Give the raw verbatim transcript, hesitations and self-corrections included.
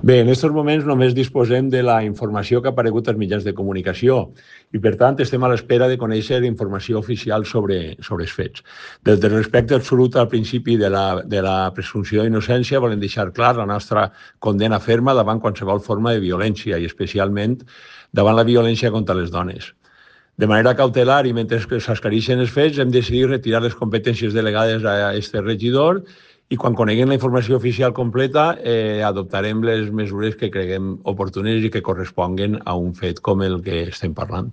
Bé, en aquests moments només disposem de la informació que ha aparegut als mitjans de comunicació i, per tant, estem a l'espera de conèixer informació oficial sobre, sobre els fets. Des del respecte absolut al principi de la, de la presumpció d'innocència, volem deixar clar la nostra condena ferma davant qualsevol forma de violència i, especialment, davant la violència contra les dones. De manera cautelar i mentre s'esclareixen els fets, hem decidit retirar les competències delegades a aquest regidor i quan coneguem la informació oficial completa eh, adoptarem les mesures que creguem oportunes i que corresponguen a un fet com el que estem parlant.